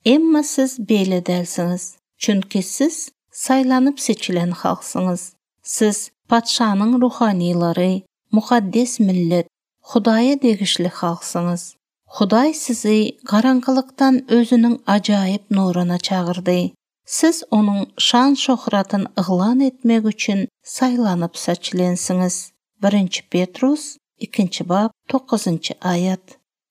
Emma siz beýle dälsiňiz. Çünki siz saylanıp seçilen halksınız. Siz patşanyň ruhanilary, mukaddes millet, Hudaýa degişli halksınız. Hudaý sizi garaňgylykdan özüniň ajaýyp nuruna çağırdy. Siz onuň şan şöhratyny yglan etmek üçin saylanyp seçilensiňiz. 1 Petrus 2 bab 9 ayat.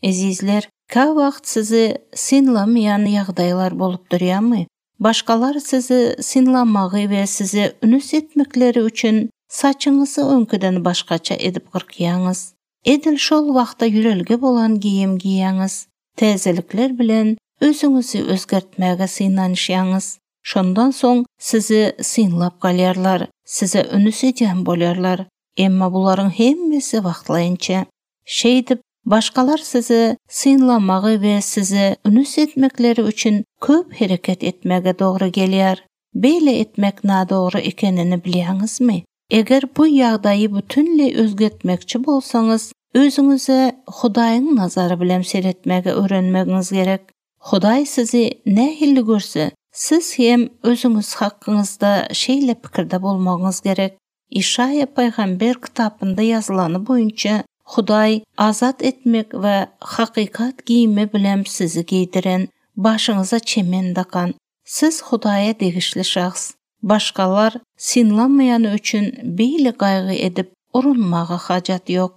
Ezizler, ka wagt sizi sinlamayan ýagdaýlar bolup durýarmy? Başgalar sizi sinlamagy we sizi ünüs etmekleri üçin saçyňyzy öňküden başgaça edip gyrkýaňyz. Edil şol wagtda ýürelge bolan giyim giýäňiz. Täzelikler bilen özüňizi özgertmäge synanyşýaňyz. Şondan soň sizi synlap galýarlar, size ünüs edýän bolýarlar. Emma bularyň hemmesi wagtlaýynça. Şeýdip, başgalar sizi synlamagy we sizi ünüs etmekleri üçin köp hereket etmäge dogry gelýär. Beýle etmek nadogry ekenini bilýäňizmi? Eger bu ýagdaýy bütünle özgertmekçi bolsaňyz, özüňize Hudaýyň nazary bilen seretmäge öwrenmegiňiz gerek. Hudaý sizi nähilli görse, siz hem özüňiz hakkyňyzda şeýle pikirde bolmagyňyz gerek. İşaya Paýgamber kitapynda ýazylany boýunça Hudaý azat etmek we hakykat giyimi bilen sizi giydiren, başyňyza çemen dakan. Siz Hudaýa degişli şahs. Başgalar sinlamaýany üçin beýle gaýgy edip urunmaga hajat ýok.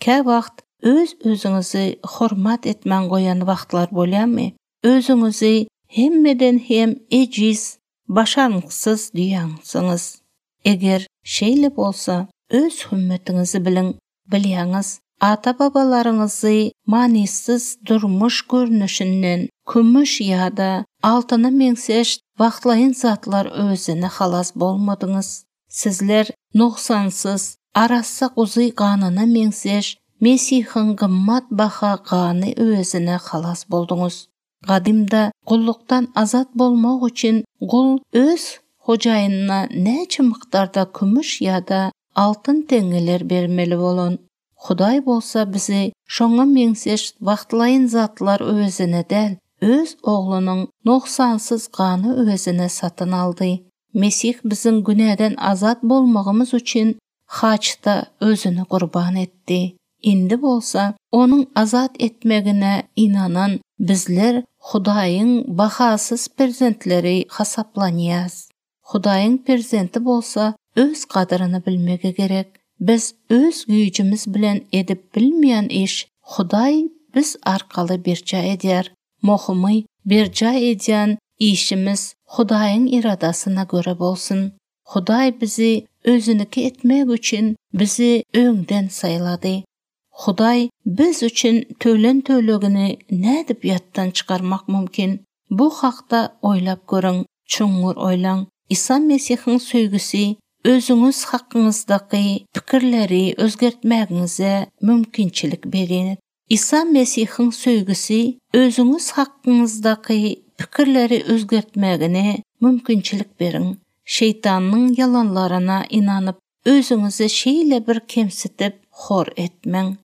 Ka wagt öz-özüňizi hormat etmen goýan wagtlar bolýarmy? Özüňizi hemmeden hem ejiz, başarňyksız diýäňsiňiz. Eger şeýle bolsa, öz hümmetinizi bilýäňiz, ata-babalaryňyzy manisiz durmuş görnüşinden kümüş ýa-da altyna meňseş wagtlaýyn zatlar özüne halas bolmadyňyz. Sizler noksansız, arassa guzy ganyna meňseş Mesihiň gymmat baha gany özüne halas bolduňyz. Gadymda gullukdan azat bolmak üçin gul öz hojaýynyna näçe mykdarda kümüş ýa-da altyn teňeler bermeli bolan. Hudaý bolsa bizi şoňa meňseş wagtlaýyn zatlar özüne däl, öz oglunyň noksansız gany özüne satyn aldy. Mesih biziň günäden azat bolmagymyz üçin haçda özüni gurban etdi. Indi bolsa onuň azat etmegine inanan bizler Hudaýyň bahasız perzentleri hasaplanýas. Hudaýyň perzenti bolsa öz gadyryny bilmege gerek. Biz öz güýjimiz bilen edip bilmeýän iş Hudaý biz arkaly birja edýär. Mohumy birja edýän işimiz Hudaýyň iradasyna göre bolsun. Hudaý bizi özüniki etmek üçin bizi öňden saylady. Hudaý biz üçin tölegini nädip ýatdan çykarmak mümkin? Bu hakda oýlap görüň, çuňur oýlaň. İsa Mesihiň söýgüsi özüňiz hakkyňyzdaky pikirleri özgertmägiňize mümkinçilik berer. İsa Mesihiň söýgüsi özüňiz hakkyňyzdaky pikirleri özgertmägine mümkinçilik beriň. Şeytanyň yalanlaryna inanyp özüňizi şeýle bir kemsitip hor etmeň.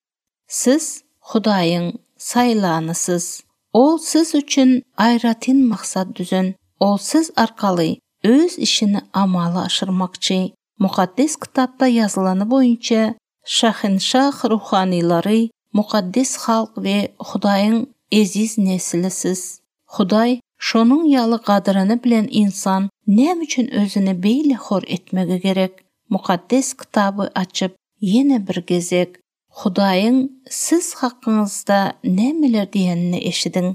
Siz Hudaýyň saylanysyz. Ol siz üçin aýratyn maksat düzen. Ol siz arkaly öz işini amala aşyrmakçy. Mukaddes kitapda ýazylany boýunça şahinşah ruhanilary, mukaddes halk we Hudaýyň eziz neslisiz. Hudaý şonuň ýaly gadyryny bilen insan näme üçin özüni beýle hor etmegi gerek? Mukaddes kitabı açyp ýene bir gezek Hudaýyň siz hakkyňyzda nämeler diýenini eşidiň.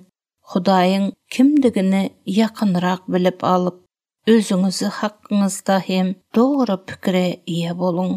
Hudaýyň kimdigini ýakynrak bilip alyp özüňizi hakkyňyzda hem dogry pikire ýa boluň.